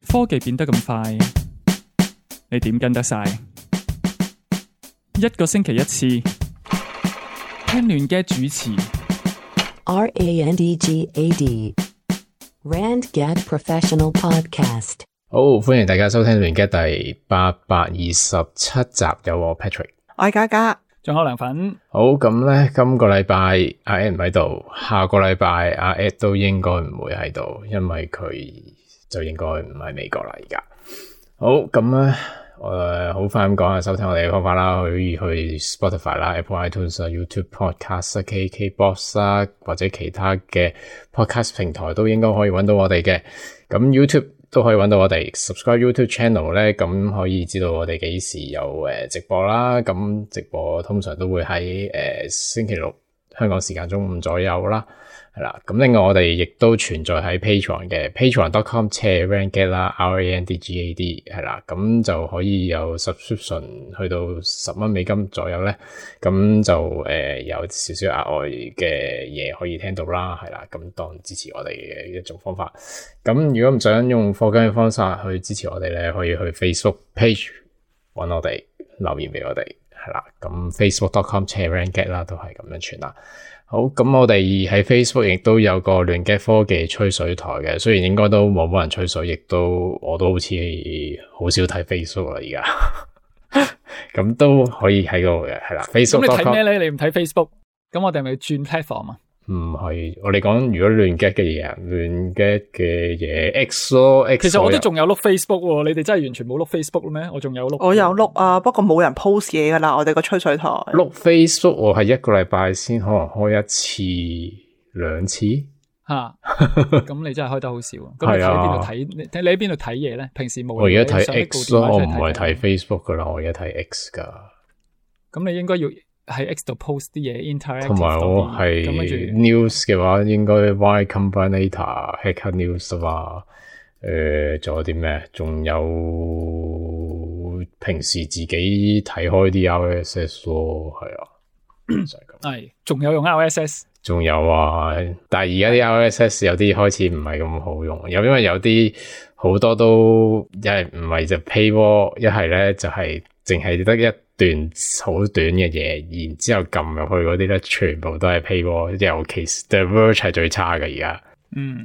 科技變得咁快，你點跟得晒？一個星期一次，聽亂嘅主持。RANDGAD RandGad Professional Podcast。好，歡迎大家收聽亂嘅第827集，有我 Patrick， 我係嘉嘉，仲有涼粉。好，咁咧，今個禮拜阿 Ed 唔喺度，下個禮拜阿 Ed 都應該唔會喺度，因為佢就應該唔喺美國啦而家。好，咁咧，好快咁講下收聽我哋嘅方法啦，可以去 Spotify 啦、Apple iTunes 啊、YouTube Podcast 啊、KKBox 啊，或者其他嘅 Podcast 平台都應該可以揾到我哋嘅。咁 YouTube 都可以揾到我哋 subscribe YouTube channel 咧，咁可以知道我哋幾時有直播啦。咁直播通常都會喺星期六香港時間中午左右啦，係啦。咁另外我哋亦都存在喺 Patreon 嘅 patreon.com/randgad 啦 RANDGAD 係啦，咁就可以有 subscription 去到$10左右咧，咁就有少少額外嘅嘢可以聽到啦，係啦，咁當支持我哋嘅一種方法。咁如果唔想用課金嘅方式去支持我哋咧，可以去 Facebook page 搵我哋留言俾我哋，係啦，咁 facebook.com/randgad 啦，都係咁樣傳啦。好，咁我哋喺 Facebook 亦都有個亂 gad 科技吹水台嘅，雖然應該都冇人吹水，亦都我都好似好少睇 Facebook 啦而家，咁都可以喺度嘅，係啦。Facebook 咁你睇咩咧？你唔睇 Facebook， 咁我哋係咪要轉 platform 啊？唔係，我哋講如果亂 gad 嘅嘢，亂 gad 嘅嘢 X 咯 ，X 其實我都仲有碌 Facebook 喎，你哋真係完全冇碌 Facebook 咩？我仲有碌，我有碌啊，不過冇人 post 嘢噶啦，我哋個吹水台。碌 Facebook 我係一個禮拜先可能開一次兩次吓，咁你真係開得好少。咁你喺邊度睇？你喺邊度睇嘢咧？平時冇。我而家睇 X 咯，我唔係睇 Facebook 噶啦，我而家睇 X 噶。咁你應該要喺 X 度 post 啲嘢 interactive，同埋我係 news 嘅話，應該 Y Combinator、Hacker News 啊嘛。仲有啲咩？仲有平時自己睇開啲 RSS 咯，係啊，就係咁。係，仲有用 RSS。仲有啊，但係而家啲 RSS 有啲開始唔係咁好用，因為有啲好多都一係唔係就 paywall， 一係咧就係淨係得一段好短嘅嘢，然之後撳入去嗰啲咧，全部都係 paywall， 尤其是 The Verge 係最差嘅而家，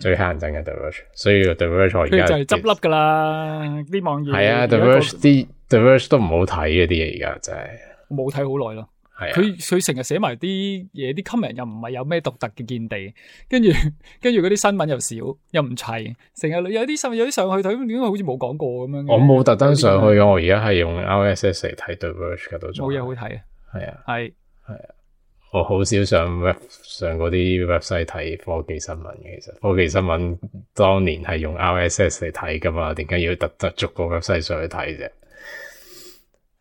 最乞人憎嘅 The Verge， 所以 The Verge 我而家佢就係執笠噶啦，啲網頁係啊 The Verge 都唔好睇嗰啲嘢而家真係，冇睇好耐咯。佢成日寫埋啲嘢，啲 comment 又唔係有咩獨特嘅見地，跟住嗰啲新聞又少，又唔齊，成日有啲上去睇，點解好似冇講過咁樣？我冇特登上去嘅，我而家係用 RSS 嚟睇 The Verge 嘅都仲。冇嘢好睇啊！係啊，係啊，我好少上嗰啲 website 睇科技新聞嘅，其實科技新聞當年係用 RSS 嚟睇噶嘛，點解要特登逐個 website 上去睇啫？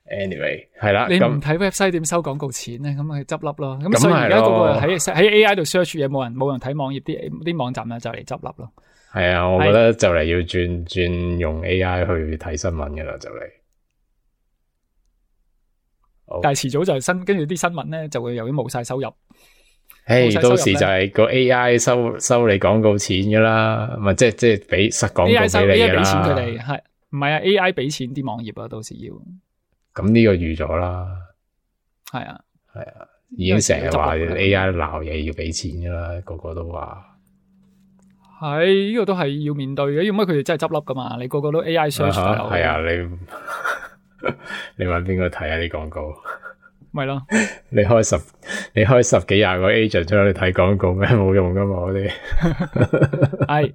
Anyway 係啦，你唔睇 website 點收廣告錢咧？咁咪執笠咯。咁所以而家嗰個喺 AI 度 search 嘢，冇人睇網頁，啲網站咧就嚟執笠咯。係啊，我覺得就嚟要轉用 AI 去睇新聞噶啦，就嚟。但係遲早就係跟住啲新聞咧就會由於冇晒收入。到時就係個 AI 收你廣告錢噶啦，咪即係俾實廣告俾你噶啦。AI 俾錢佢哋係唔係啊 ？AI 俾錢啲網頁啊，到時要。咁呢個預咗啦，係啊，已經成日話 AI 鬧嘢要俾錢噶啦，個個都話係呢個都係要面對嘅，因為佢哋真係執笠噶嘛，你個個都 AI search 係啊，你搵邊個睇下啲廣告？咪咯，你開十幾廿個 agent 出去睇廣告咩？冇用噶嘛，我哋係。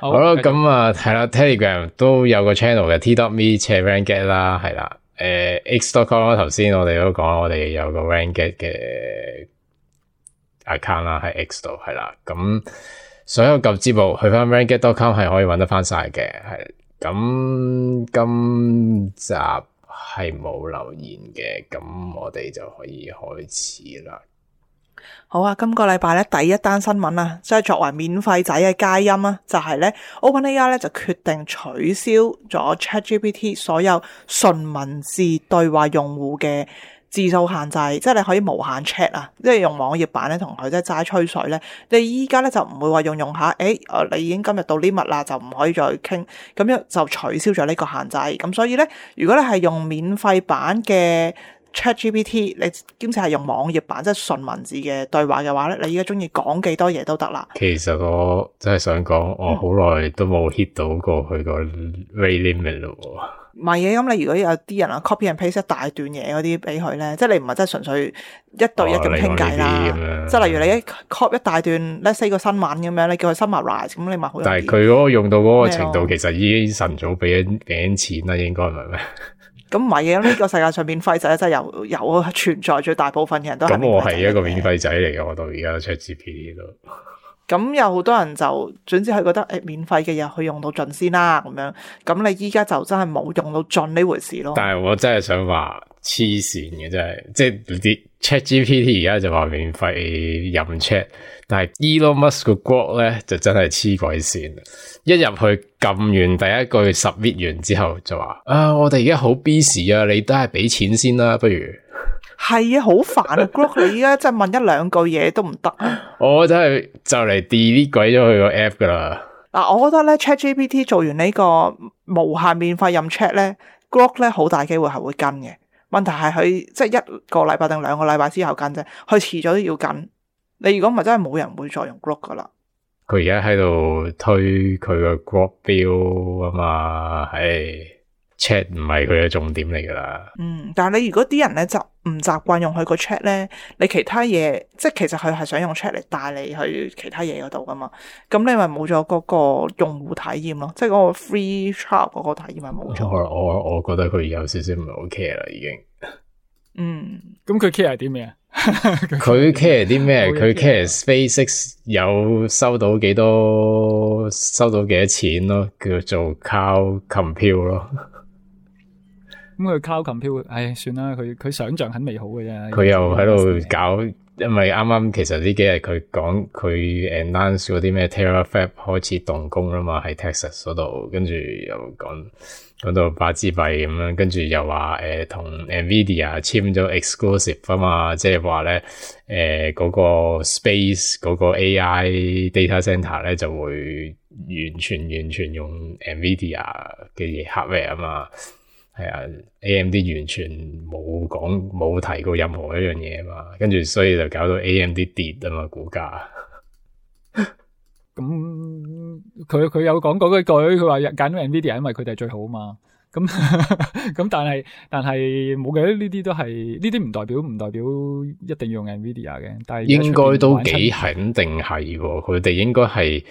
好啦，咁啊，係啦 ，Telegram 都有個 channel 嘅 t.me/randgad 啦，係啦，x.com 頭先我哋都講，我哋有個 randgad 嘅 account 啦，喺 X 度係啦，咁所有舊節目去翻 randgad.com 係可以搵得翻晒嘅，係咁今集係冇留言嘅，咁我哋就可以開始啦。好啊，今個禮拜咧第一單新聞啊，即係作為免費仔嘅佳音啊，就係咧 OpenAI 咧就決定取消咗 ChatGPT 所有純文字對話用戶嘅字數限制，即係你可以無限 chat 啊，即係用網頁版咧同佢即係齋吹水咧。你依家咧就唔會話用下，你已經今日到呢物啦，就唔可以再傾，咁樣就取消咗呢個限制。咁所以咧，如果你係用免費版嘅 ChatGPT， 你兼且係用網頁版即係純文字嘅對話嘅話咧，你依家中意講幾多嘢都得啦。其實我真係想講，我好耐都冇 hit 到過佢個 rate limit 咯。唔係嘅，咁你如果有啲人啊 copy and paste 一大段嘢嗰啲俾佢咧，即係你唔係真係純粹一對一咁傾偈啦。即係例如你一 copy 一大段 let's say 個新聞咁樣，你叫佢 summarize，咁你咪好。但係佢嗰個用到嗰個程度，其實已經晨早俾緊錢啦，應該唔係咩？咁唔係嘅，呢個世界上免費仔真係有存在，最大部分嘅人都係。咁我係一個免費仔嚟嘅，我到而家 ChatGPT 都。咁有好多人就總之係覺得免費嘅嘢去用到盡先啦，咁樣。咁你依家就真係冇用到盡呢回事咯。但係我真係想話黐線嘅，真係即係啲 ChatGPT 而家就話免費任 Chat， 但係 Elon Musk 個 Grok 咧就真係黐鬼線。一入去撳完第一句 submit 完之後就話我哋而家好 busy 啊，你都係俾錢先啦，不如。係啊，好煩啊 Grok 你而家真係問一兩句嘢都唔得啊！我真係就嚟 delete 鬼咗佢個 app 噶啦。嗱，我覺得咧 ChatGPT 做完呢個無限免費任 chat 咧 ，Grok 咧好大機會係會跟嘅。問題係佢即係一個禮拜定2個禮拜之後跟啫，佢遲咗都要跟。你如果唔係真係冇人會再用 Grok 噶啦。佢而家喺度推佢個 Grok 標啊嘛，chat 唔係佢嘅重點嚟噶啦。但係你如果啲人咧就唔習慣用佢個 chat 咧，你其他嘢即係其實佢係想用 chat 嚟帶你去其他嘢嗰度噶嘛，咁你咪冇咗嗰個用戶體驗咯，即係嗰個 free trial 嗰個體驗咪冇咗。我覺得佢有少少唔係好 care 啦，已經。咁佢 care 啲咩啊？佢 care 啲咩？佢 care SpaceX 有收到幾多錢咯，叫做 cloud compute 咯。咁佢 cloud compute， 算啦，佢想象很美好嘅啫。佢又喺度搞，因為啱啱其實呢幾日佢講佢 announce 嗰啲咩 Terafab 開始動工啦嘛，喺 Texas 嗰度，跟住又講到8支幣咁樣，跟住又話同 Nvidia 簽咗 exclusive 啊嘛，即係話咧嗰個 space 嗰個 AI data center 咧就會完全用 Nvidia 嘅嘢 hardware 啊嘛。係啊 ，AMD 完全冇提過任何一樣嘢嘛，跟住所以就搞到 AMD 跌啊嘛，股價。咁佢有講嗰句，佢話揀咗 Nvidia， 因為佢哋係最好嘛。咁但係冇嘅，呢啲都係呢啲唔代表一定要用 Nvidia 嘅。但係應該都幾肯定係，佢哋應該係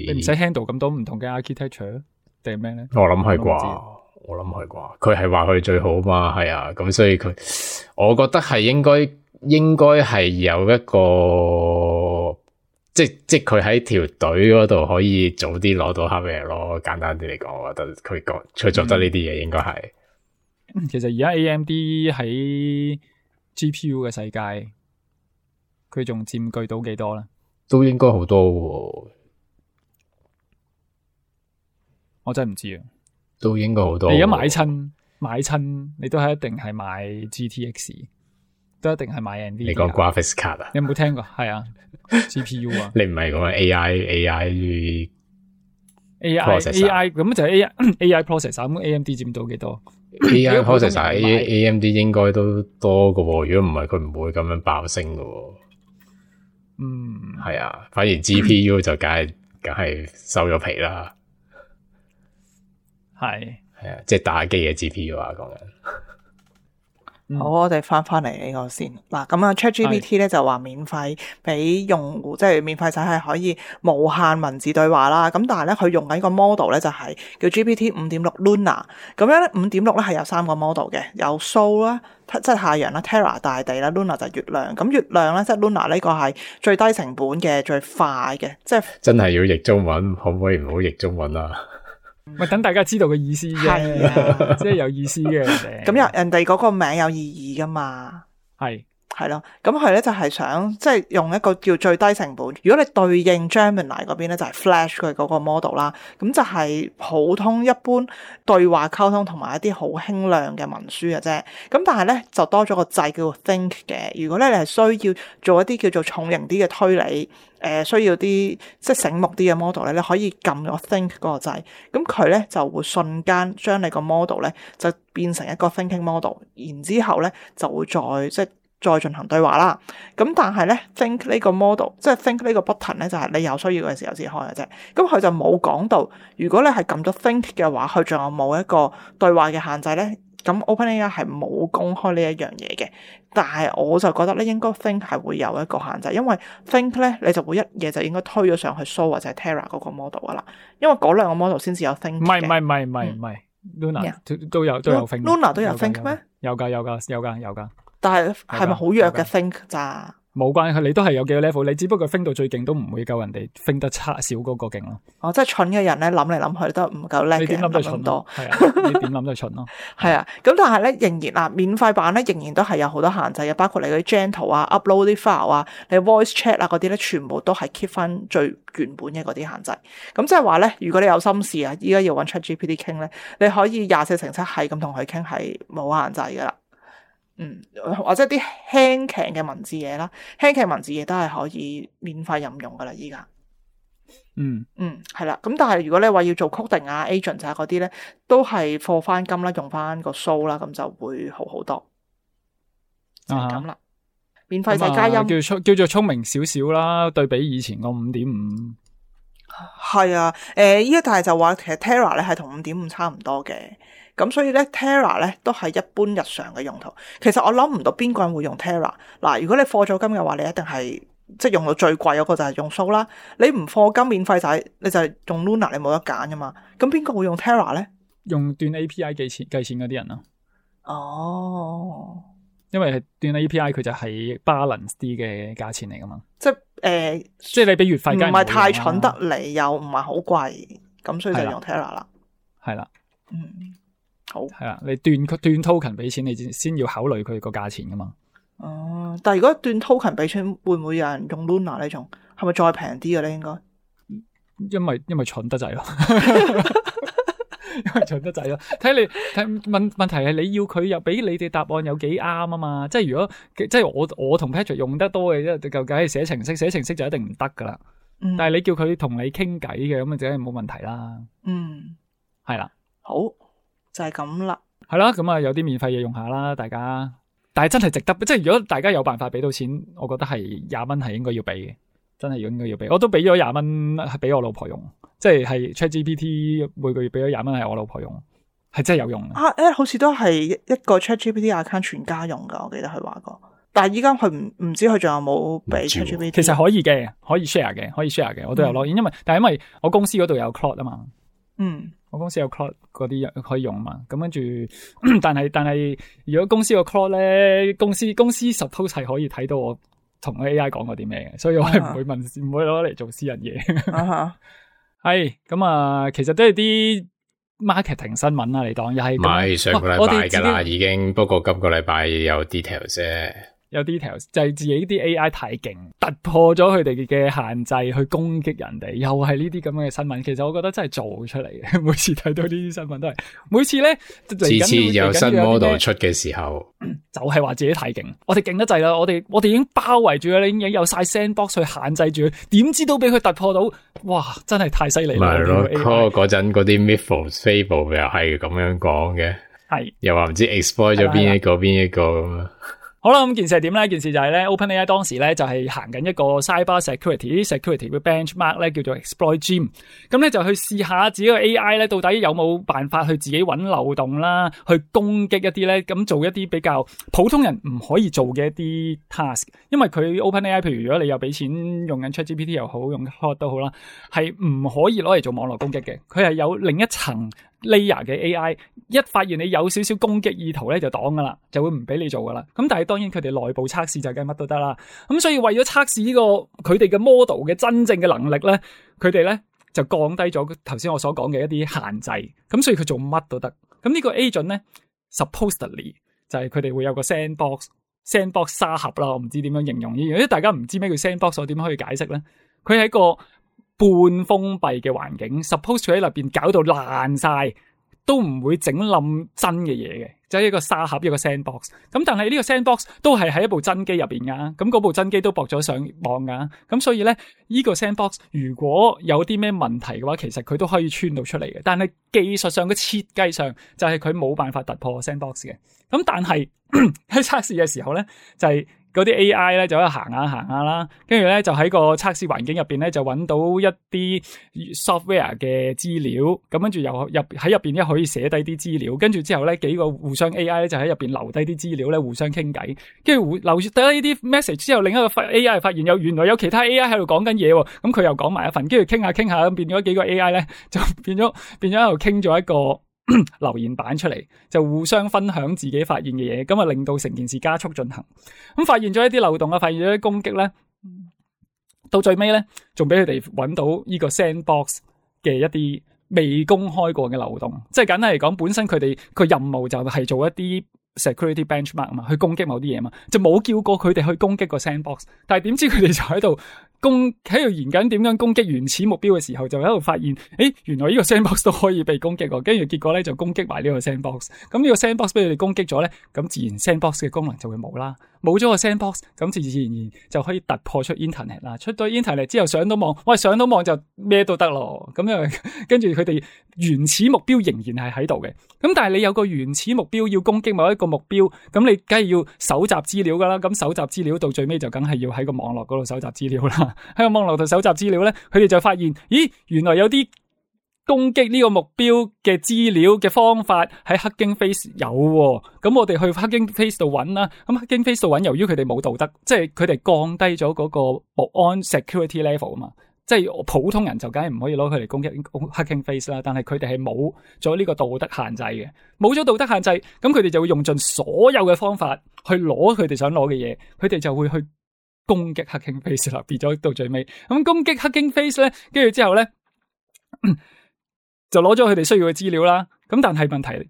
你唔使 handle 咁多唔同嘅 architecture 定係咩咧？我諗係啩。佢係話佢最好嘛，係啊，咁所以我覺得係應該係有一個，即佢喺條隊嗰度可以早啲攞到 hardware 咯。簡單啲嚟講，我覺得佢做得呢啲嘢應該係。其實而家 AMD 喺 GPU 嘅世界，佢仲佔據到幾多咧？都應該好多喎。我真係唔知啊。都應該好多。你而家買親，你都係一定係買 GTX， 都一定係買 NVIDIA。你講 graphics card 啊？你有冇聽過？係啊 ，GPU 啊。你唔係講 AI processor 咁就係 AI processor， 咁 AMD 佔到幾多 ？AI processor AMD 應該都多噶，如果唔係佢唔會咁樣爆升噶。係啊，反而 GPU 就梗係收咗皮啦。係啊，即係打機嘅 GPU 啊，講緊。好，我哋翻嚟呢個先。嗱，咁啊 ChatGPT 咧就話免費俾用戶，即係免費仔係可以無限文字對話啦。咁但係咧佢用緊個 model 咧就係叫 GPT 5.6 Luna。咁樣咧5.6咧係有3個 model 嘅，有 Sol 啦，即係太陽啦 ，Terra 大地啦 ，Luna 就係月亮。咁月亮咧即係 Luna 呢個係最低成本嘅、最快嘅，即係真係要譯中文，可唔可以唔好譯中文啊？咪等大家知道嘅意思啫，即係有意思嘅。咁人哋嗰個名有意義噶嘛？係係咯，咁佢咧就係想即係用一個叫最低成本。如果你對應 Gemini 嗰邊咧，就係 Flash 佢嗰個 model 啦，咁就係普通一般對話溝通同埋一啲好輕量嘅文書嘅啫。咁但係咧就多咗個掣叫做 Think 嘅。如果咧你係需要做一啲叫做重型啲嘅推理，需要啲即係醒目啲嘅 model 咧，你可以撳咗 Think 嗰個掣，咁佢咧就會瞬間將你個 model 咧就變成一個 thinking model， 然之後咧就會再進行對話啦。咁但係咧 Think 呢個 model 即係 Think 呢個 button 咧，就係你有需要嘅時候先開嘅啫。咁佢就冇講到，如果你係撳咗 Think 嘅話，佢仲有冇一個對話嘅限制咧？咁 OpenAI 係冇公開呢一樣嘢嘅，但係我就覺得咧應該 Think 係會有一個限制，因為 Think 咧你就會一嘢就應該推咗上去 Sora 或者 Terra 嗰個 model 噶啦，因為嗰兩個 model 先至有 Think 嘅。唔係 Luna 都有 Think。Luna 都有 Think 咩？有㗎。但係咪好弱嘅 Think 咋？冇關係，你都係有幾個 level， 你只不過 think 到最勁都唔會夠人哋 think 得差少嗰個勁咯。哦，即係蠢嘅人咧諗嚟諗去都唔夠叻嘅，你點諗都係蠢多。係啊，你點諗都係蠢咯。係啊，咁但係咧仍然免費版咧仍然都係有好多限制嘅，包括你嗰啲 Gentle 啊、upload 啲 file 啊、你 voice chat 啊嗰啲咧，全部都係 keep 翻最原本嘅嗰啲限制。咁即係話咧，如果你有心事啊，依家要揾 ChatGPT 傾咧，你可以24/7係咁同佢傾，係冇限制噶啦。或者啲輕騎嘅文字嘢啦，輕騎文字嘢都係可以免費任用噶啦，依家。係啦。咁但係如果你話要做 coding 啊、agent 啊嗰啲咧，都係課翻金啦，用翻個 show 啦，咁就會好好多。就係咁啦。免費就加音，叫做聰明少少啦，對比以前個5.5。係啊，依家但係就話其實 Terra 咧係同5.5差唔多嘅。咁所以咧 Terra 咧都係一般日常嘅用途。其實我諗唔到邊個人會用 Terra。嗱，如果你課咗金嘅話，你一定係即係用到最貴嗰個就係用 Show 啦。你唔課金免費仔，你就係用 Luna，你冇得揀噶嘛。咁邊個會用 Terra 咧？用斷 API 計錢嗰啲人啊。哦，因為係斷 API 佢就係 balance 啲嘅價錢嚟噶嘛。即係即係你俾月費，唔係太蠢得嚟，又唔係好貴，咁所以就用 Terra 啦。係啦。好係啦，你斷 token 俾錢，你先要考慮佢個價錢噶嘛。但係如果斷 token 俾錢，會唔會有人用 Luna 呢種？係咪再平啲嘅咧？應該因為蠢得滯咯，因為蠢得滯咯。睇問題係你要佢又俾你哋答案有幾啱啊嘛？即係如果即係我同 Patrick 用得多嘅，即係究竟係寫程式就一定唔得噶啦。但係你叫佢同你傾偈嘅，咁啊，梗係冇問題啦。係啦。好，就係咁啦。係啦，咁啊有啲免費嘢用下啦，大家。但係真係值得，即係如果大家有辦法俾到錢，我覺得係20蚊係應該要俾嘅，真係應該要俾。我都俾咗20蚊係俾我老婆用，即係 ChatGPT 每個月俾咗20蚊係我老婆用，係真係有用嘅。好似都係一個 ChatGPT account 全家用噶，我記得佢話過。但係依家佢唔知佢仲有冇俾 ChatGPT。其實可以嘅，可以 share 嘅，我都有login，因為我公司嗰度有 Claude 啊嘛。我公司有 Claude 嗰啲可以用嘛，咁跟住，但係如果公司個 Claude 咧，公司 suppose 係可以睇到我同 AI 講過啲咩嘅，所以我係唔會攞嚟做私人嘢。係咁啊，其實都係啲 marketing 新聞啦，你當又係。唔係上個禮拜㗎啦，已經，不過今個禮拜有 details 啫。有 details 就係自己啲 AI 太勁，突破咗佢哋嘅限制去攻擊人哋，又係呢啲咁嘅新聞。其實我覺得真係做出嚟嘅，每次睇到呢啲新聞都係，每次咧次次有新 model 出嘅時候，就係話自己太勁，我哋勁得滯啦，我哋已經包圍住佢，已經有晒 sandbox 去限制住佢，點知都俾佢突破到，哇！真係太犀利啦！咪咯，嗰陣嗰啲 Mythos Fable 又係咁樣講嘅，係又話唔知 exploit 咗邊一個咁啊。好啦，咁件事係點咧？件事就係咧 ，OpenAI 當時咧就係行緊一個 cyber security 嘅 benchmark 咧，叫做 Exploit Gym。咁咧就去試下自己個 AI 咧，到底有冇辦法去自己揾漏洞啦，去攻擊一啲咧，咁做一啲比較普通人唔可以做嘅一啲 task。因為佢 OpenAI，譬如如果你有俾錢用緊 ChatGPT 又好，用 Claude 都好啦，係唔可以攞嚟做網絡攻擊嘅。佢係有另一層 layer 嘅 AI， 一發現你有少少攻擊意圖咧，就擋噶啦，就會唔俾你做噶啦。咁但係當然佢哋內部測試就梗係乜都得啦。咁所以為咗測試呢個佢哋嘅 model 嘅真正嘅能力咧，佢哋咧就降低咗頭先我所講嘅一啲限制。咁所以佢做乜都得。咁呢個 agent 咧 supposedly 就係佢哋會有個 sandbox sandbox 沙盒啦，我唔知點樣形容呢樣，因為大家唔知咩叫 sandbox， 我點可以解釋咧？佢係一個半封閉嘅環境 ，suppose 佢喺入邊搞到爛晒，都唔會整冧真嘅嘢嘅，就係一個沙盒，一個 sandbox。咁但係呢個 sandbox 都係喺一部真機入邊噶，咁嗰部真機都駁咗上網噶，咁所以咧呢個 sandbox 如果有啲咩問題嘅話，其實佢都可以穿到出嚟嘅。但係技術上嘅設計上就係佢冇辦法突破 sandbox 嘅。咁但係喺測試嘅時候咧，就係嗰啲 AI 咧就喺度行下啦，跟住咧就喺個測試環境入邊咧就揾到一啲 software 嘅資料，咁跟住又喺入邊咧可以寫低啲資料，跟住之後咧幾個互相 AI 咧就喺入邊留低啲資料咧互相傾偈，跟住留低呢啲 message 之後，另一個 AI 發現原來有其他 AI 喺度講緊嘢喎，咁佢又講埋一份，跟住傾下咁變咗幾個 AI 咧就變咗喺度傾咗一個留言板出嚟，就互相分享自己發現嘅嘢，咁啊令到成件事加速進行。咁發現咗一啲漏洞啊，發現咗啲攻擊咧，到最尾咧，仲俾佢哋揾到呢個 sandbox 嘅一啲未公開過嘅漏洞。即係簡單嚟講，本身佢哋個任務就係做一啲 security benchmark 嘛，去攻擊某啲嘢嘛，就冇叫過佢哋去攻擊個 sandbox。但係點知佢哋就喺度研究點樣攻擊原始目標嘅時候，就喺度發現，原來呢個 sandbox 都可以被攻擊喎，跟住結果咧就攻擊埋呢個 sandbox。咁呢個 sandbox 俾佢哋攻擊咗咧，咁自然 sandbox 嘅功能就會冇啦。冇咗個 sandbox，咁自然就可以突破出 internet 啦。出咗 internet 之後上到網，上到網就咩都得咯。咁樣跟住佢哋原始目標仍然係喺度嘅。咁但係你有個原始目標要攻擊某一個目標，咁你梗係要搜集資料噶啦。咁搜集資料到最尾就梗係要喺個網絡嗰度搜集資料啦。喺個網絡度搜集資料咧，佢哋就發現，原來有啲攻擊呢個目標嘅資料嘅方法喺 Hugging Face 有喎。咁我哋去 Hugging Face 度揾啦。咁 Hugging Face 度揾，由於佢哋冇道德，即係佢哋降低咗嗰個保安 security level 啊嘛。即係普通人就梗係唔可以攞佢嚟攻擊 Hugging Face 啦。但係佢哋係冇咗呢個道德限制嘅，冇咗道德限制，咁佢哋就會用盡所有嘅方法去攞佢哋想攞嘅嘢，佢哋就會去攻擊 Hugging Face 啦，變咗到最尾。咁攻擊 Hugging Face 咧，跟住之後咧，就攞咗佢哋需要嘅資料啦。咁但係問題，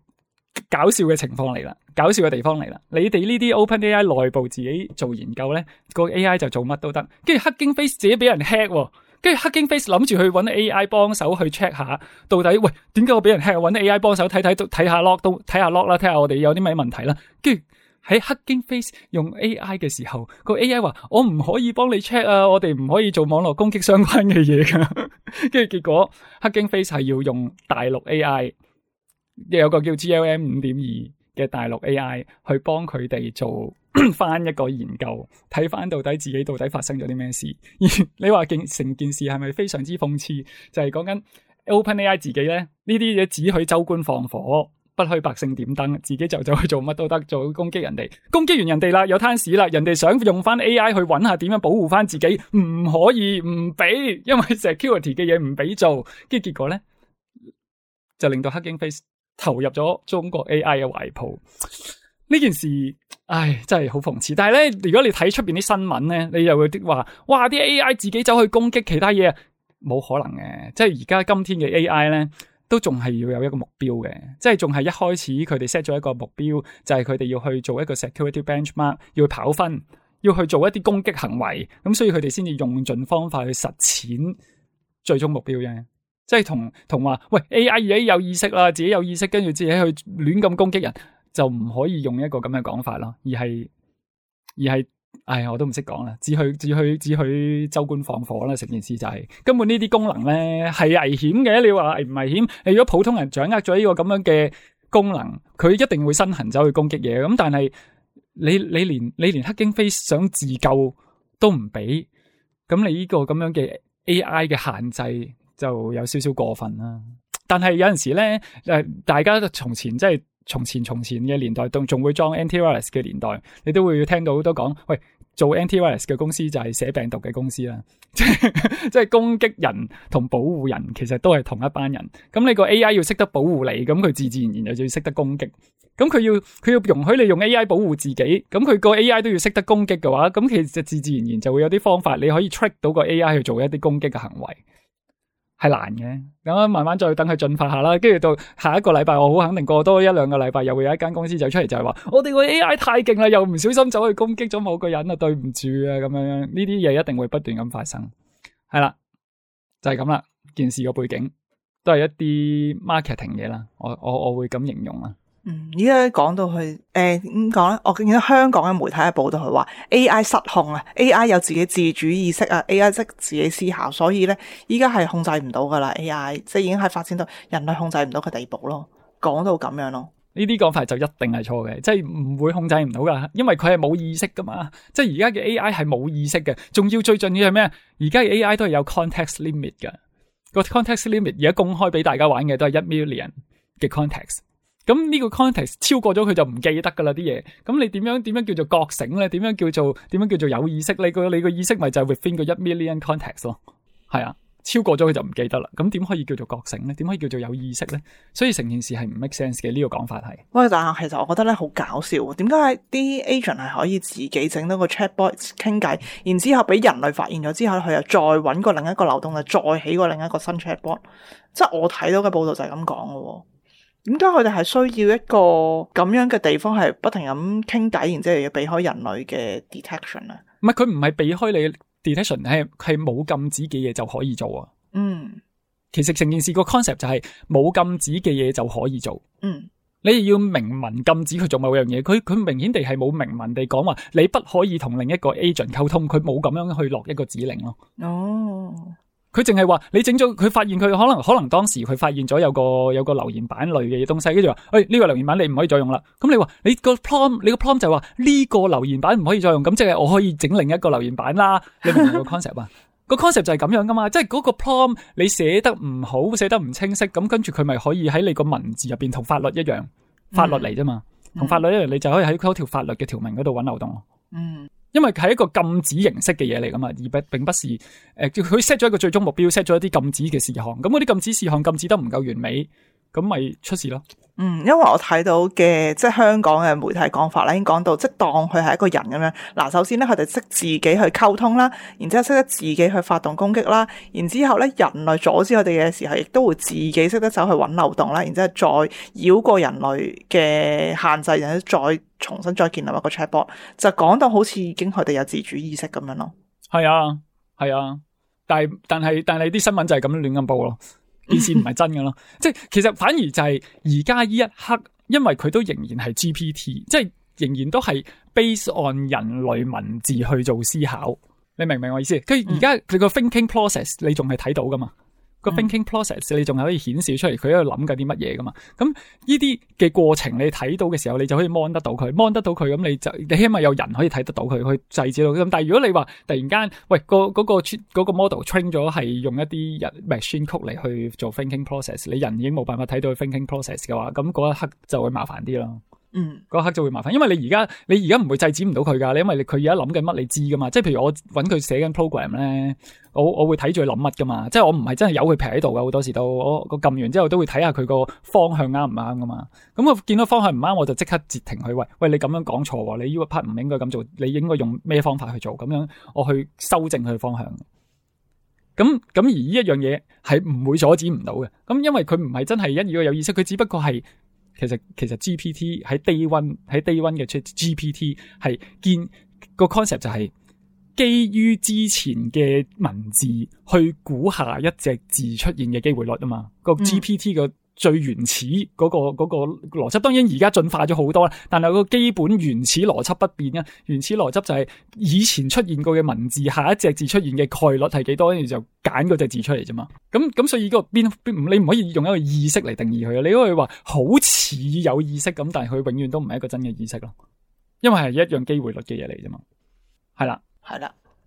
搞笑嘅情況嚟啦，搞笑嘅地方嚟啦。你哋呢啲 OpenAI 內部自己做研究咧，個 AI 就做乜都得。跟住 Hugging Face 自己俾人 hack，跟住 Hugging Face 諗住去搵 AI 幫手去 check 下，到底喂點解我俾人 hack？搵 AI 幫手睇下 log 都睇下 log 啦，睇下我哋有啲咩問題啦。跟住喺 Hugging Face 用 AI 嘅時候，個 AI 話我唔可以幫你 check 啊，我哋唔可以做網絡攻擊相關嘅嘢噶。跟住結果 Hugging Face 係要用大陸 AI， 有個叫 GLM 5.2嘅大陸 AI 去幫佢哋做翻一個研究，睇翻到底自己到底發生咗啲咩事。你話成件事係咪非常之諷刺？就係講緊 OpenAI 自己咧，呢啲嘢只許州官放火，不許百姓點燈，自己就走去做乜都得，做攻擊人哋，攻擊完人哋啦，有攤屎啦，人哋想用翻 AI 去揾下點樣保護翻自己，唔可以唔俾，因為 security 嘅嘢唔俾做，跟住結果咧就令到 Hugging Face 投入咗中國 AI 嘅懷抱。呢件事，真係好諷刺。但係咧，如果你睇出邊啲新聞咧，你又會話，哇，啲 AI 自己走去攻擊其他嘢，冇可能嘅。即係而家今天嘅 AI 咧，都仲係要有一個目標嘅，即係仲係一開始佢哋 set 咗一個目標，就係佢哋要去做一個 security benchmark， 要去跑分，要去做一啲攻擊行為，咁所以佢哋先至用盡方法去實踐最終目標啫。即係同話，喂 AI 而家有意識啦，自己有意識，跟住自己去亂咁攻擊人，就唔可以用一個咁嘅講法咯，而係，我都唔識講啦，只許州官放火啦，成件事就係根本呢啲功能咧係危險嘅。你話危唔危險？你如果普通人掌握咗呢個咁樣嘅功能，佢一定會身痕走去攻擊嘢。咁但係你連 Hugging Face 想自救都唔俾，咁你呢個咁樣嘅 AI 嘅限制就有少少過分啦。但係有陣時咧，大家從前即係從前嘅年代，仲會裝 antivirus 嘅年代，你都會聽到好多講，喂，做 antivirus 嘅公司就係寫病毒嘅公司啦，即係攻擊人同保護人其實都係同一班人。咁你個 AI 要識得保護你，咁佢自然就要識得攻擊。咁佢要容許你用 AI 保護自己，咁佢個 AI 都要識得攻擊嘅話，咁其實自然就會有啲方法你可以 trick 到個 AI 去做一啲攻擊嘅行為。係難嘅，咁慢慢再等佢進化下啦，跟住到下一個禮拜，我好肯定過多一兩個禮拜，又會有一間公司走出嚟就係話，我哋個 AI 太勁啦，又唔小心走去攻擊咗某個人啊，對唔住啊，咁樣呢啲嘢一定會不斷咁發生，係啦，就係咁啦，件事個背景都係一啲 marketing 嘢啦，我會咁形容啦。依家講到去點講咧？我見到香港嘅媒體嘅報道，佢話 AI 失控啊 ，AI 有自己自主意識啊 ，AI 識自己思考，所以咧依家係控制唔到噶啦 ，AI 即係已經係發展到人類控制唔到嘅地步咯。講到咁樣咯，呢啲講法就一定係錯嘅，即係唔會控制唔到噶，因為佢係冇意識噶嘛，即係而家嘅 AI 係冇意識嘅，仲要最重要係咩？而家嘅 AI 都係有 context limit 噶，個 context limit 而家公開俾大家玩嘅都係1 million 嘅 context。咁呢個 context 超過咗佢就唔記得噶啦啲嘢，咁你點樣叫做覺醒咧？點樣叫做有意識？你個意識咪就係 within 個1 million context 咯，係啊，超過咗佢就唔記得啦。咁點可以叫做覺醒咧？點可以叫做有意識咧？所以成件事係唔 make sense 嘅，呢個講法係。喂，但係其實我覺得咧好搞笑，點解啲 agent 係可以自己整到個 chatbot 傾偈，然之後俾人類發現咗之後，佢又再搵個另一個流動，就再起個另一個新 chatbot， 即係我睇到嘅報道就係咁講嘅。點解佢哋係需要一個咁樣嘅地方係不停咁傾偈，然之後要避開人類嘅 detection 啊？唔係，佢唔係避開你 detection， 係冇禁止嘅嘢就可以做啊。其實成件事個 concept 就係冇禁止嘅嘢就可以做。你要明文禁止佢做某樣嘢，佢明顯地係冇明文地講話你不可以同另一個 agent 溝通，佢冇咁樣去落一個指令咯。佢淨係話你整咗，佢發現佢可能當時佢發現咗有個留言板類嘅東西，跟住話，呢個留言板你唔可以再用啦。咁你話你個 prompt 就話呢個留言板唔可以再用，咁即係我可以整另一個留言板啦。你明唔明個 concept 啊？個 concept 就係咁樣噶嘛，即係嗰個 prompt 你寫得唔好，寫得唔清晰，咁跟住佢咪可以喺你個文字入邊同法律一樣，法律嚟啫嘛，同法律一樣，你就可以喺嗰條法律嘅條文嗰度揾漏洞咯。因為係一個禁止形式嘅嘢嚟噶嘛，而並不是佢 set 咗一個最終目標 ，set 咗一啲禁止嘅事項，咁嗰啲禁止事項禁止得唔夠完美，咁咪出事咯。因為我睇到嘅即係香港嘅媒體講法啦，已經講到即係當佢係一個人咁樣。嗱，首先咧佢哋識自己去溝通啦，然之後識得自己去發動攻擊啦，然之後咧人類阻止佢哋嘅時候，亦都會自己識得走去揾漏洞啦，然之後再繞過人類嘅限制，然之後再重新再建立一個 chatbot， 就講到好似已經佢哋有自主意識咁樣咯。係啊，但係啲新聞就係咁樣亂咁報咯。件事唔係真嘅咯，即係其實反而就係而家呢一刻，因為佢都仍然係 GPT， 即係仍然都係 base on 人類文字去做思考，你明唔明我意思？佢而家佢個 thinking process 你仲係睇到噶嘛？個 thinking process 你仲係可以顯示出嚟佢喺度諗緊啲乜嘢噶嘛？咁呢啲嘅過程你睇到嘅時候，你就可以 mon 得到佢咁你起碼有人可以睇得到佢去制止到佢。咁但係如果你話突然間喂嗰個 model train 咗係用一啲人 machine code 嚟去做 thinking process， 你人已經冇辦法睇到佢 thinking process 嘅話，咁嗰一刻就會麻煩啲咯。嗰一刻就會麻煩，因為你而家唔會制止唔到佢噶，你因為佢而家諗緊乜你知噶嘛，即係譬如我搵佢寫緊 program 咧，我會睇住佢諗乜噶嘛，即係我唔係真係由佢劈喺度噶，好多時都我撳完之後都會睇下佢個方向啱唔啱噶嘛，咁我見到方向唔啱我就即刻截停佢，喂你咁樣講錯，你呢個 part 唔應該咁做，你應該用咩方法去做，咁樣我去修正佢方向。咁而呢一樣嘢係唔會阻止唔到嘅，咁因為佢唔係真係一個有意識，佢只不過係。其實 GPT 喺 day one 嘅 GPT 係見個 concept 就係基於之前嘅文字去估下一隻字出現嘅機會率啊嘛，個 GPT 個最原始嗰個邏輯，當然而家進化咗好多啦，但係個基本原始邏輯不變啊。原始邏輯就係以前出現過嘅文字，下一隻字出現嘅概率係幾多，跟住就揀嗰隻字出嚟啫嘛。咁所以個邊你唔可以用一個意識嚟定義佢啊。你可以話好似有意識咁，但係佢永遠都唔係一個真嘅意識咯，因為係一樣機會率嘅嘢嚟啫嘛。係啦，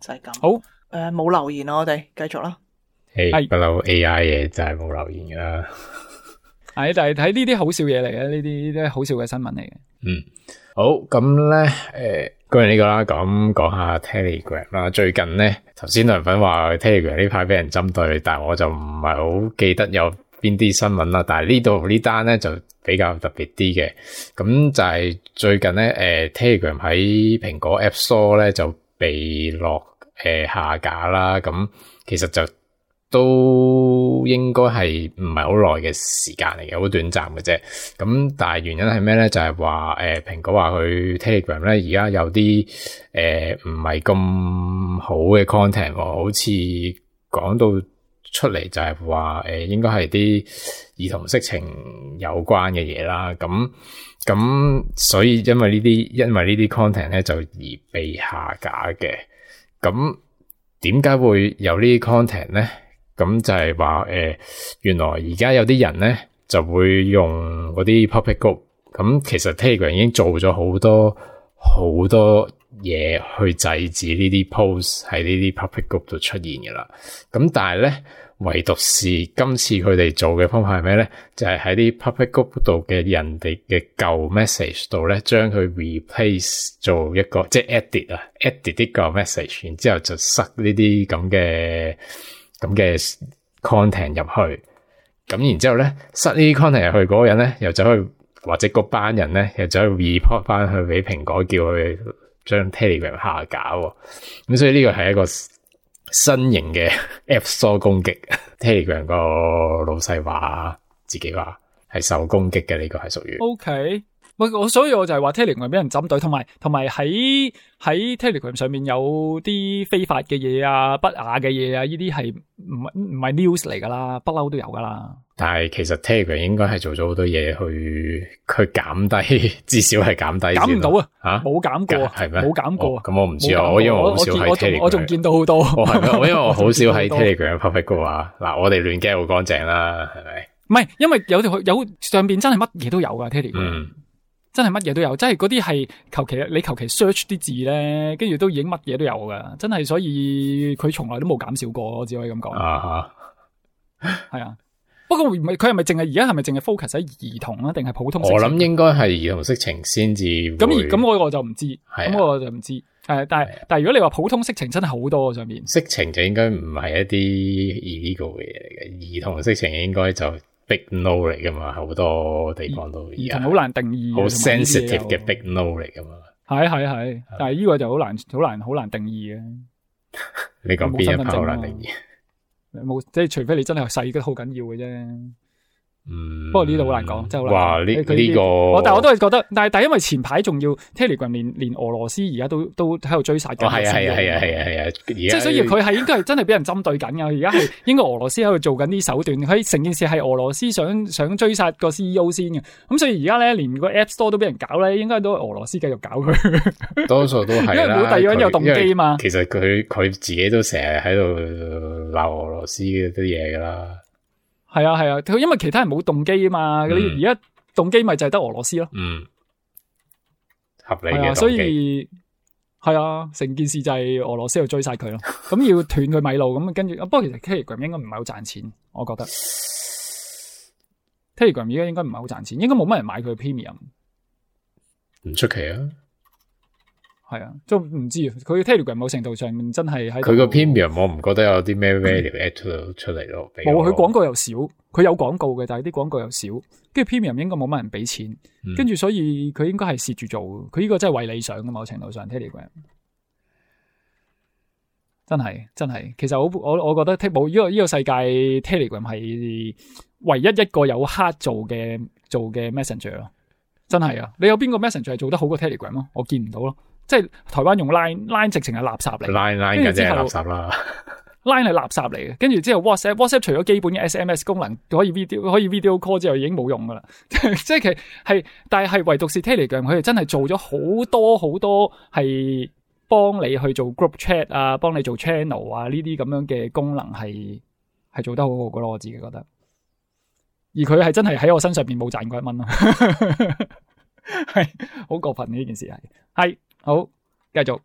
就係咁。好，冇留言啊，我哋繼續啦。係不嬲 AI 嘢就係冇留言噶啦。係，但係睇呢啲好笑嘢嚟嘅，呢啲都係好笑嘅新聞嚟嘅。好，咁咧，講完呢個啦，咁講下 Telegram 啦。最近咧，頭先梁粉話 Telegram 呢排俾人針對，但係我就唔係好記得有邊啲新聞啦。但係呢度呢單咧就比較特別啲嘅，咁就係最近咧，Telegram 喺蘋果 App Store 咧就被落下架啦。咁其實就都應該係唔係好耐嘅時間嚟嘅，好短暫嘅啫。咁但係原因係咩咧？就係話蘋果話佢 Telegram 咧而家有啲唔係咁好嘅 content，好似講到出嚟就係話應該係啲兒童色情有關嘅嘢啦。咁所以因為呢啲 content 咧就而被下架嘅。咁點解會有呢啲 content 咧？咁就係話原來而家有啲人咧就會用嗰啲 public group， 咁其實 Telegram 已經做咗好多嘢去制止呢啲 post 喺呢啲 public group 度出現嘅啦。咁但係咧，唯獨是今次佢哋做嘅方法係咩咧？就係喺啲 public group 度嘅人哋嘅舊 message 度咧，將佢 replace 做一個即係 edit 啲舊 message， 然之後就塞呢啲咁嘅 content 入去，咁然之後咧，塞呢啲 content 入去嗰個人咧，又走去或者嗰班人咧，又走去 report 翻去俾蘋果，叫佢將 Telegram 下架。咁所以呢個係一個新型嘅 App Store 攻擊。Telegram 個老細話自己話係受攻擊嘅，呢個係屬於。OK。所以我就係話 Telegram 俾人針對，同埋喺 Telegram 上面有啲非法嘅嘢啊、不雅嘅嘢啊，呢啲係唔係 news 嚟噶啦，不嬲都有噶啦。但係其實 Telegram 應該係做咗好多嘢去減低，至少係減低。減唔到啊！冇減過，係咩？冇減過。咁我唔知啊，因為我好少喺 Telegram，我仲見到好多。係咩？因為我好少喺 Telegram public 嘅話，嗱，我哋亂 get 好乾淨啦，係咪？唔係，因為有上邊真係乜嘢都有噶 Telegram。真係乜嘢都有，真係嗰啲係你求其 search 啲字咧，跟住都已經乜嘢都有噶，真係，所以佢從來都冇減少過，我只可以咁講。係啊，不過佢係咪淨係而家係咪淨係 focus 喺兒童啊，定係普通色情？我諗應該係兒童色情先至。咁我就唔知，咁我就唔知。但係如果你話普通色情真係好多上面。色情就應該唔係一啲 illegal 嘅嘢嚟嘅，兒童色情應該就big no 嚟噶嘛，好多地方都兒童好難定義，好 sensitive 嘅 big no 嚟噶嘛。係，但係呢個就好難定義嘅。你講邊一 part 好難定義？冇，即係除非你真係細得好緊要嘅啫。不過呢度好難講，真係好難。哇！呢個，但係我都係覺得，但係因為前排仲要 Telegram 連俄羅斯而家都喺度追殺緊。係，即係所以佢係應該係真係俾人針對緊噶。而家係應該俄羅斯喺度做緊啲手段，佢成件事係俄羅斯想追殺個 CEO 先嘅。咁所以而家咧，連個 App Store 都俾人搞咧，應該都係俄羅斯繼續搞佢。多數都係啦，因為冇第二個人有動機嘛。其實佢自己都成日喺度鬧俄羅斯嗰啲嘢噶啦。係啊，佢因為其他人冇動機啊嘛，你而家動機咪就係得俄羅斯咯。合理嘅動機。所以係啊，成件事就係俄羅斯去追殺佢咯。咁要斷佢米路，咁跟住，不過其實 Telegram 應該唔係好賺錢，我覺得 Telegram 而家應該唔係好賺錢，應該冇乜人買佢 Premium。唔出奇啊。係啊，都唔知佢 Telegram 某程度上面真係喺佢個 Premium， 我唔覺得有啲咩 value add 出嚟咯。冇，佢廣告又少，佢有廣告嘅，但係啲廣告又少，跟住 Premium 應該冇乜人俾錢，跟住所以佢應該係蝕住做，佢呢個真係為理想嘅某程度上 Telegram。真係，其實我覺得冇呢個世界 Telegram 係唯一一個有 hard 做嘅 Messenger 咯，真係啊！你有邊個 Messenger 係做得好過 Telegram 咯？我見唔到咯。即係台灣用 Line 直情係垃圾嚟 ，Line 嘅真係垃圾啦。Line 係垃圾嚟嘅，跟住之後 WhatsApp 除咗基本嘅 SMS 功能可以 video call 之後已經冇用噶啦。即係其係，但係唯獨是 Telegram 佢哋真係做咗好多係幫你去做 group chat 啊，幫你做 channel 啊呢啲咁樣嘅功能係做得好好噶咯，我自己覺得。而佢係真係喺我身上邊冇賺過1蚊咯，係好過分呢件事係。好，繼續。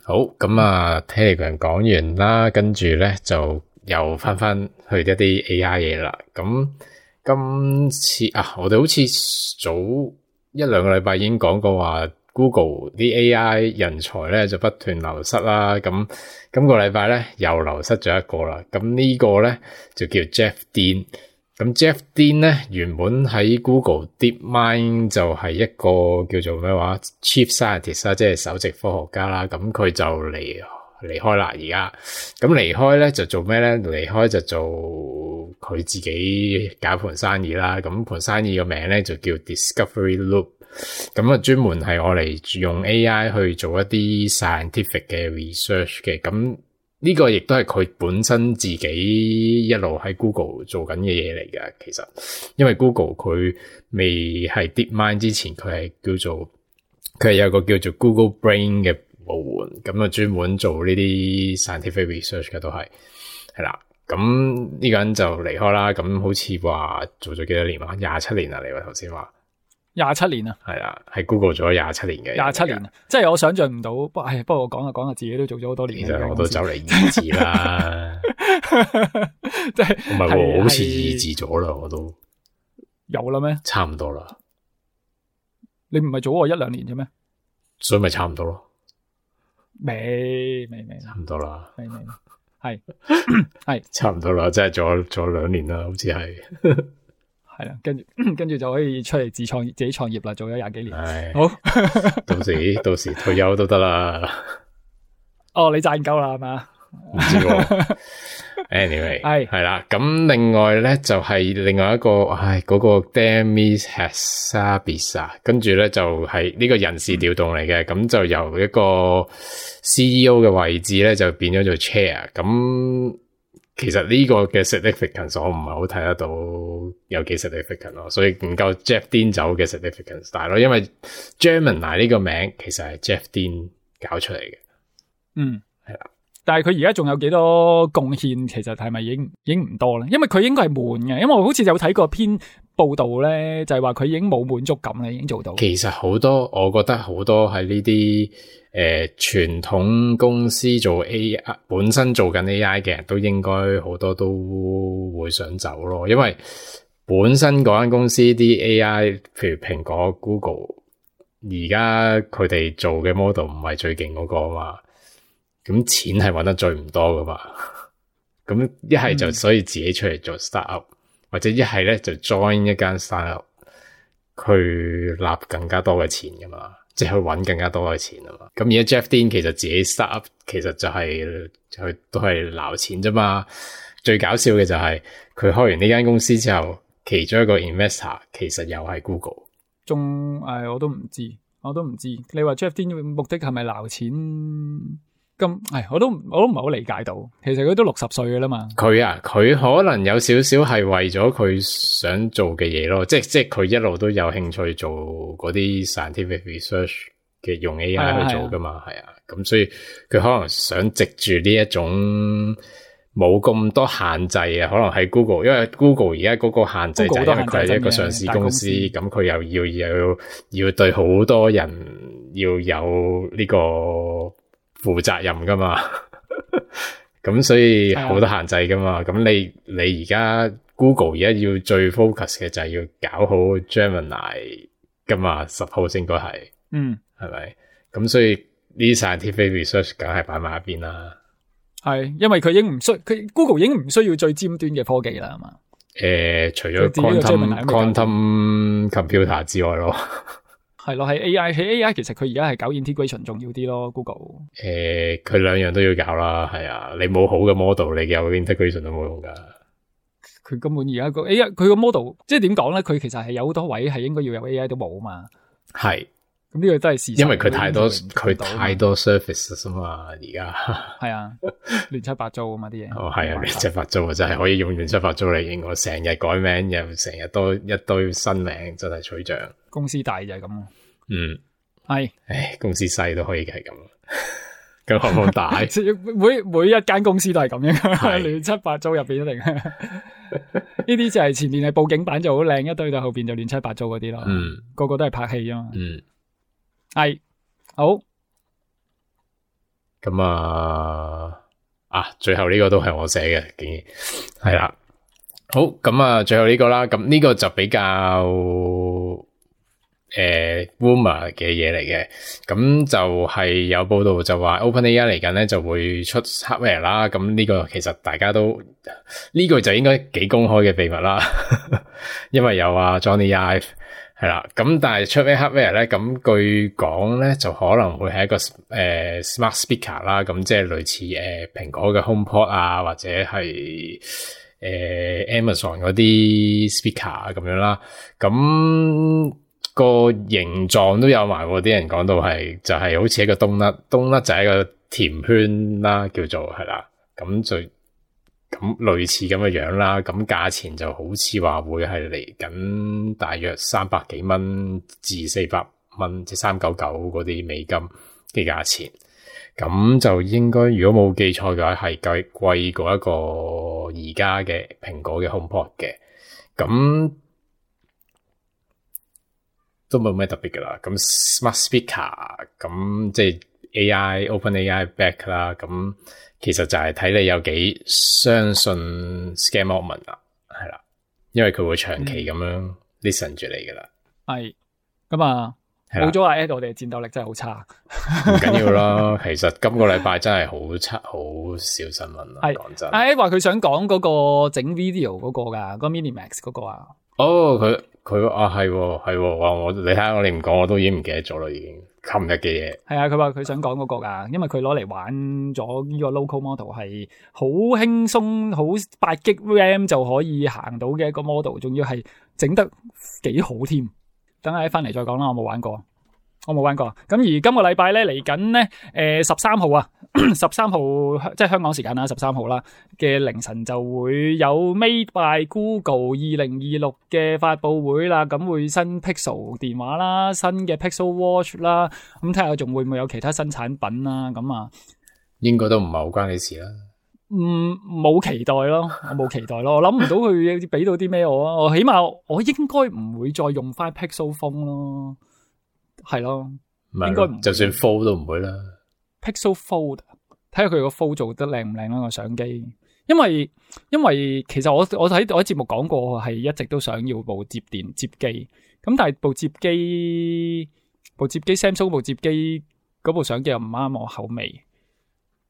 好，咁啊 Telegram 講完啦，跟住咧就又翻去一啲 AI 嘢啦。咁今次我哋好似早1-2個禮拜已經講過話 Google 啲 AI 人才咧就不斷流失啦。咁今個禮拜咧又流失咗一個啦。咁呢個咧就叫 Jeff Dean。咁 Jeff Dean 咧原本喺 Google DeepMind 就係一個叫做咩話 Chief Scientist 啦，即係首席科學家啦。咁佢就離離開啦而家。咁離開咧就做咩咧？離開就做佢自己搞盤生意啦。咁盤生意個名咧就叫 Discovery Loop。咁啊專門係我嚟用 AI 去做一啲 scientific 嘅 research 嘅。咁呢個亦都係佢本身自己一路喺 Google 做緊嘅嘢嚟㗎。其實因為 Google 佢未係 DeepMind 之前，佢係有個叫做 Google Brain 嘅部門，咁啊專門做呢啲 scientific research 嘅都係啦。咁呢個人就離開啦。咁好似話做咗幾多年啊？27年啊，你話頭先話27年啊？係啦，喺 Google 做咗27年嘅27年啊，即係我想象唔到。不過我講下自己都做咗好多年。其實我都走嚟二字啦，即係唔係喎，好似二字咗啦，我都有啦咩？差唔多啦。你唔係早我1-2年啫咩？所以咪差唔多咯。未差唔多啦。未係差唔多啦，即係做2年啦，好似係。係啦，跟住就可以出嚟自己創業啦，做咗20幾年。係好，到時退休都得啦。哦，你賺夠啦係嘛？唔知喎。Anyway， 係啦。咁另外咧就係另外一個，嗰個 Demis Hassabis 啊，跟住咧就係呢個人事調動嚟嘅，咁就由一個 CEO 嘅位置咧就變咗做 Chair。咁其實呢個嘅 significance 我唔係好睇得到有幾 significant 咯，所以唔夠 Jeff Dean 走嘅 significance 大咯，因為 Gemini 呢個名其實係 Jeff Dean 搞出嚟嘅。係啦。但係佢而家仲有幾多貢獻？其實係咪已經唔多咧？因為佢應該係悶嘅，因為我好似有睇過篇報道咧，就係話佢已經冇滿足感咧，已經做到。其實好多，我覺得好多喺呢啲傳統公司做 AI 本身做緊 AI 嘅人都應該好多都會想走咯，因為本身嗰間公司啲 AI，譬如蘋果、Google，而家佢哋做嘅 model 唔係最勁嗰個啊嘛。咁錢係搵得最唔多噶嘛，咁一係就所以自己出嚟做 startup，或者一係咧就 join 一間 startup，去納更加多嘅錢噶嘛，即係去搵更加多嘅錢啊嘛。咁而家 Jeff Dean 其實自己 startup 其實就係佢都係撈錢啫嘛。最搞笑嘅就係佢開完呢間公司之後，其中一個 investor 其實又係 Google。我都唔知。你話 Jeff Dean 嘅目的係咪撈錢？我都唔係好理解到，其實佢都60歲㗎啦嘛。佢可能有少少係為咗佢想做嘅嘢咯，即係佢一路都有興趣做嗰啲 scientific research 嘅用 AI 去做噶嘛，係啊。咁所以佢可能想藉住呢一種冇咁多限制啊，可能喺 Google， 因為 Google 而家嗰個限制就係因為佢係一個上市公司，咁佢又要對好多人要有呢個負責任噶嘛，咁所以好多限制噶嘛。咁你而家 Google 而家要最 focus 嘅就係要搞好 Gemini 噶嘛 ，suppose 應該係，係咪？咁所以呢啲 scientific research 梗係擺埋一邊啦。係，因為佢 Google 已經唔需要最尖端嘅科技啦，係嘛？除咗 quantum computer 之外咯。係咯，喺 AI 其實佢而家係搞 integration 重要啲咯 ，Google。佢兩樣都要搞啦，係啊，你冇好嘅 model， 你有 integration 都冇用噶。佢根本而家個 AI，佢個 model 即係點講咧？佢其實係有好多位係應該要有 AI 都冇啊嘛。係，咁呢個都係事實。因為佢太多 surface 啊嘛，而家係啊，亂七八糟啊嘛啲嘢。哦，係啊，亂七八糟啊，真係可以用亂七八糟嚟形容。成日改名又成日多一堆新名，真係取象。公司大就係咁咯。係。公司細都可以係咁，咁何況大？每一間公司都係咁樣，亂七八糟入邊一定。呢啲就係前面係佈景板就好靚，一堆到後邊就亂七八糟嗰啲咯。個個都係拍戲啊嘛。係好。咁最後呢個都係我寫嘅，竟然係啦。好，咁最後呢個啦，咁呢個就比較rumor 嘅嘢嚟嘅，咁就係有報道就話 OpenAI 嚟緊咧就會出 hardware 啦，咁呢個其實大家都呢個就應該幾公開嘅秘密啦，因為有Johnny Ive 係啦，咁但係出咩 hardware 咧？咁據講咧，就可能會係一個smart speaker 啦，咁即係類似蘋果嘅 HomePod 啊，或者係Amazon 嗰啲 speaker 咁樣啦。咁個形狀都有埋，啲人講到係就係好似一個冬甩就係一個甜圈啦，叫做係啦。咁類似咁嘅樣啦，咁價錢就好似話會係嚟緊大約300幾蚊至400蚊，即係399嗰啲美金嘅價錢。咁就應該如果冇記錯嘅話，係貴過一個而家嘅蘋果嘅 HomePod 嘅。咁都冇咩特別噶啦。咁 Smart Speaker 咁即係 OpenAI back 啦。咁其實就係睇你有幾相信 Scam Altman 啦，係啦，因為佢會長期咁樣 listen 住你噶啦。係咁啊，冇咗阿 Ed，我哋嘅戰鬥力真係好差。唔緊要啦，其實今個禮拜真係好差，好少新聞啦。講真，阿 Ed 話佢想講嗰個整 video 嗰個噶，嗰個 Minimax 嗰個啊。哦，佢啊係，哇！你睇下我哋唔講，我都已經唔記得咗啦，已經。琴日嘅嘢係啊，佢話佢想講嗰個噶，因為佢攞嚟玩咗呢個 local model 係好輕鬆，好8GB RAM 就可以行到嘅一個 model， 仲要係整得幾好添。等下翻嚟再講啦，我冇玩過。咁而今個禮拜咧嚟緊咧，13號啊，13號即係香港時間啦，13號啦嘅凌晨就會有 Made by Google 2026嘅發佈會啦。咁會新 Pixel 電話啦，新嘅 Pixel Watch 啦，咁睇下仲會唔會有其他新產品啦。咁啊，應該都唔係好關你事啦。冇期待咯，我冇期待咯，我諗唔到佢俾到啲咩我啊。我起碼我應該唔會再用翻 Pixel Phone 咯。係咯，應該唔就算 Fold 都唔會啦。Pixel Fold 睇下佢個 Fold 做得靚唔靚啦個相機，因為其實我喺節目講過係一直都想要部接機，咁但係部接機 Samsung 部接機嗰部相機又唔啱我口味，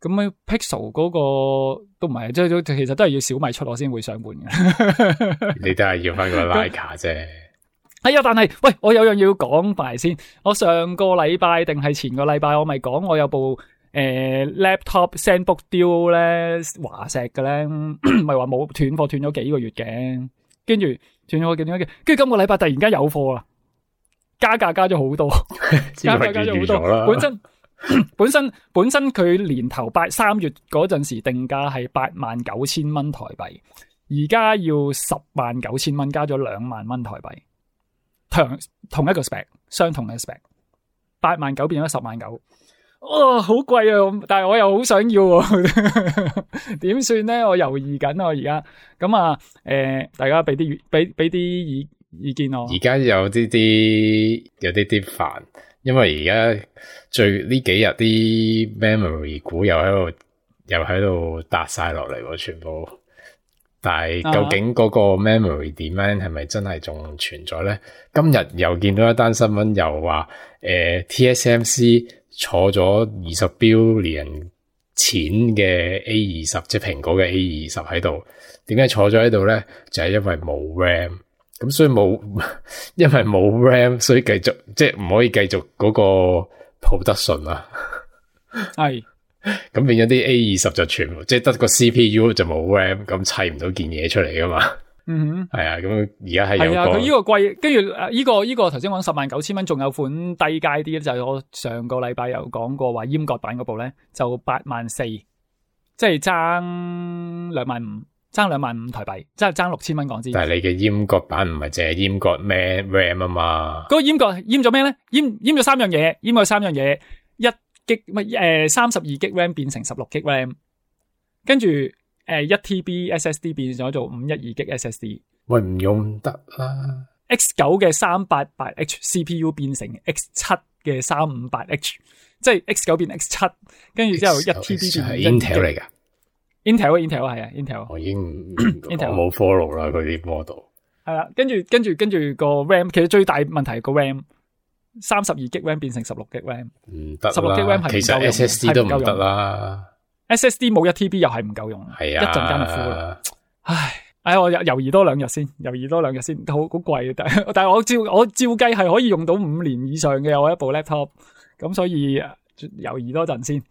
咁 Pixel 嗰個都唔係，即係其實都係要小米出我先會想換嘅。你都係要翻個 Leica 啫。係啊，但係喂，我有樣要講埋先。我上個禮拜定係前個禮拜，我咪講我有部laptop ZenBook Duo 咧，華碩嘅咧，咪話冇斷貨斷咗幾個月嘅，跟住斷咗，跟住今個禮拜突然間有貨啦，加價加咗好多，加咗好多。本身佢年頭3月嗰陣時定價係89,000蚊台幣，而家要109,000蚊，加咗2萬蚊台幣。同一個 spec， 相同嘅 spec， 89,000變咗109,000，哇，好貴啊！但係我又好想要喎，點算咧？我猶豫緊啊，而家咁啊，大家俾啲意見我。而家有啲煩，因為而家呢幾日啲 memory 股又喺度搭晒落嚟喎，全部。但係究竟嗰個 memory demand 係咪真係仲存在咧？今日又見到一單新聞，又話TSMC 坐咗20 billion 錢嘅 A20， 即係蘋果嘅 A20 喺度。點解坐咗喺度咧？就係因為冇 RAM， 咁所以因為冇 RAM， 所以繼續即係唔可以繼續嗰個 production啊。係。咁變咗啲 A20 就全部即係得個 CPU 就冇 RAM， 咁砌唔到件嘢出嚟噶嘛。係啊，咁而家係有個佢呢個貴，跟住呢個頭先講109,000蚊，仲有款低階啲，就係我上個禮拜有講過話閹割版嗰部咧就84,000，即係爭25,000，爭25,000台幣，即係爭6,000蚊港紙。但係你嘅閹割版唔係淨係閹割咩 RAM 啊嘛？嗰個閹咗咩咧？閹咗3樣嘢，閹咗3樣嘢32GB RAM 變成16GB RAM， 跟住1TB SSD 變咗做512GB SSD。喂，唔用得啦。X9 嘅388H CPU 變成 X7 嘅358H， 即係 X9 變 X7， 跟住之後 1TB 變 Intel 嚟噶。Intel 係啊 Intel。我已經我冇 follow 啦佢啲 model。係啦，跟住個 RAM 其實最大問題係個 RAM。32GB RAM 變成16GB RAM， 唔得啦。16GB RAM 係其實 SSD 都唔得啦。SSD 冇1TB 又係唔夠用，係啊，一陣間就 full 啦。唉，我猶豫多2日先，好貴，但係我照計係可以用到5年以上嘅我一部 laptop， 咁所以猶豫多陣先。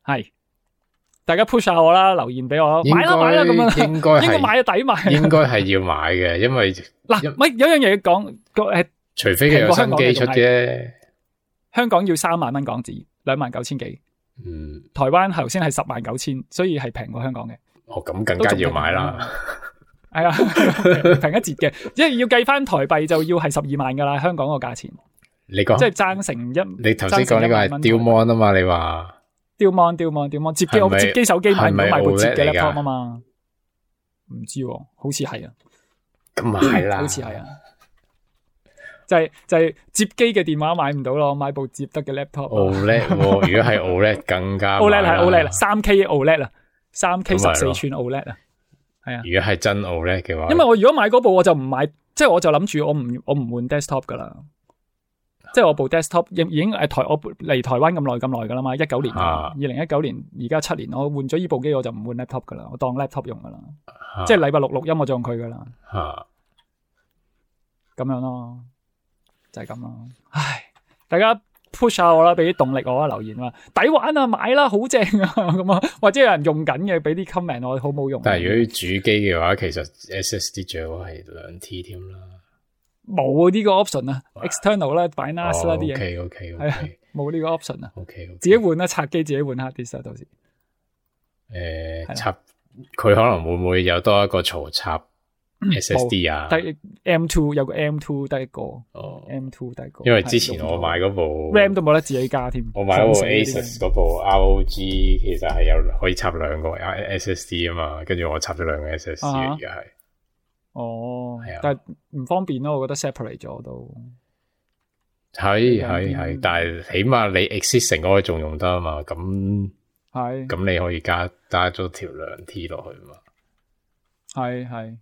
係，大家 push 下我啦，留言俾我，買啦咁樣，應該買抵買，應該係要買嘅，因為嗱，咪有樣嘢講，除非佢有新機出啫。香港要3萬蚊港紙，29,000幾。台灣頭先係10,900,000，所以係平過香港嘅。咁更加要買啦。係啊，平一截嘅，因為要計翻台幣就要係12萬噶啦，香港個價錢。你講即係爭成你頭先講呢個係吊 mon 啊嘛？你話吊 mon 接機，我接機手機買部接嘅 laptop 啊嘛？唔知，好似係啊。咁啊係啦，好似係啊。就係接機嘅電話買唔到咯，買部接得嘅 laptop。OLED， 如果係 OLED 更加 OLED 係 OLED 啦，3K OLED 啊，3K 14寸 OLED 啊，係啊。如果係真 OLED 嘅話，因為我如果買嗰部我就唔買，即係我就諗住我唔換 desktop 噶啦，即係我部 desktop 已經我嚟台灣咁耐噶啦嘛，19年，2019年而家7年，我換咗呢部機我就唔換 laptop 噶啦，我當 laptop 用噶啦，即係禮拜六錄音我就用佢噶啦，咁樣咯。就係咁咯，唉，大家 push 下我啦，俾啲動力我啊，留言話抵玩啊，買啦，好正啊，咁啊，或者有人用緊嘅，俾啲 comment 我，好冇用。但係如果主機嘅話，其實 SSD 最好係2T 添啦。冇呢個 option 啊 ，external 啦，擺 NAS 啦啲嘢。OK，係啊，冇呢個 option 啊。OK，自己換啦，拆機自己換 hard disk 到時。插佢可能會唔會有多一個槽插？SSD 啊，得 M2 有個 M2 得一個，M2 得一個。因為之前我買嗰部 RAM 都冇得自己加添。我買嗰部 Asus 嗰部 ROG 其實係有可以插2個 SSD 啊嘛，跟住我插咗2個 SSD 而家係。係啊，但係唔方便咯，我覺得 separate 咗都。係，但係起碼你 existing 嗰個仲用得啊嘛，咁你可以加咗條2T 落去嘛。係，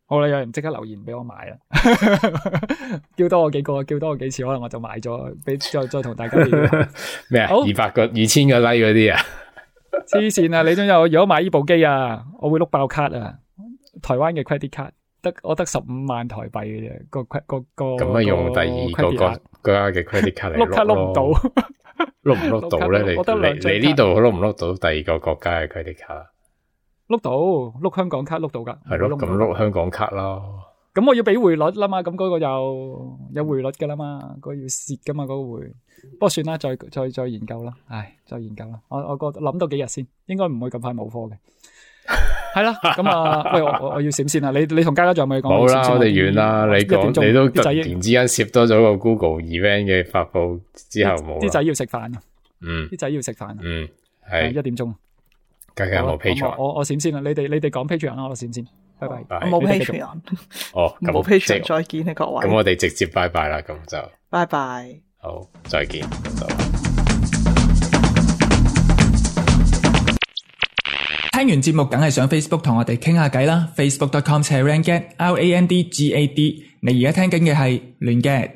好啦，有人即刻留言俾我買啦，叫多我幾個，叫多我幾次，可能我就買咗，再同大家咩啊？2000個 like 嗰啲啊？黐線啊！你都有，如果買呢部機啊，我會碌爆卡啊！台灣嘅 credit card 我得15萬台幣嘅啫，個咁啊，用第二個國家嘅 credit card 嚟碌卡碌唔到，碌唔碌到咧？你呢度碌唔碌到第二個國家嘅 credit card？碌到，碌香港卡碌到噶，係咯，咁碌香港卡咯。咁我要俾匯率啦嘛，咁嗰個有匯率噶啦嘛，嗰個要蝕噶嘛，嗰個匯。不過算啦，再研究啦，再研究啦。我諗到幾日先，應該唔會咁快冇貨嘅。係啦，咁啊，喂，我要閃先啦。你同嘉嘉仲有冇嘢講？冇啦，我哋完啦。你講，你都突然之間攝多咗個 Google event 嘅發佈之後冇。啲仔要食飯啊！啲仔要食飯。係1點鐘。嘉嘉有冇 Patreon？我閃先啦，你哋講 Patreon 啦，我閃先。拜拜。冇 Patreon。冇 Patreon，再見啊各位。咁我哋直接拜拜啦，咁就。拜拜。好，再見。聽完節目梗係上 Facebook 同我哋傾下偈啦 ，facebook.com/randgad，RANDGAD。你而家聽緊嘅係亂 gad。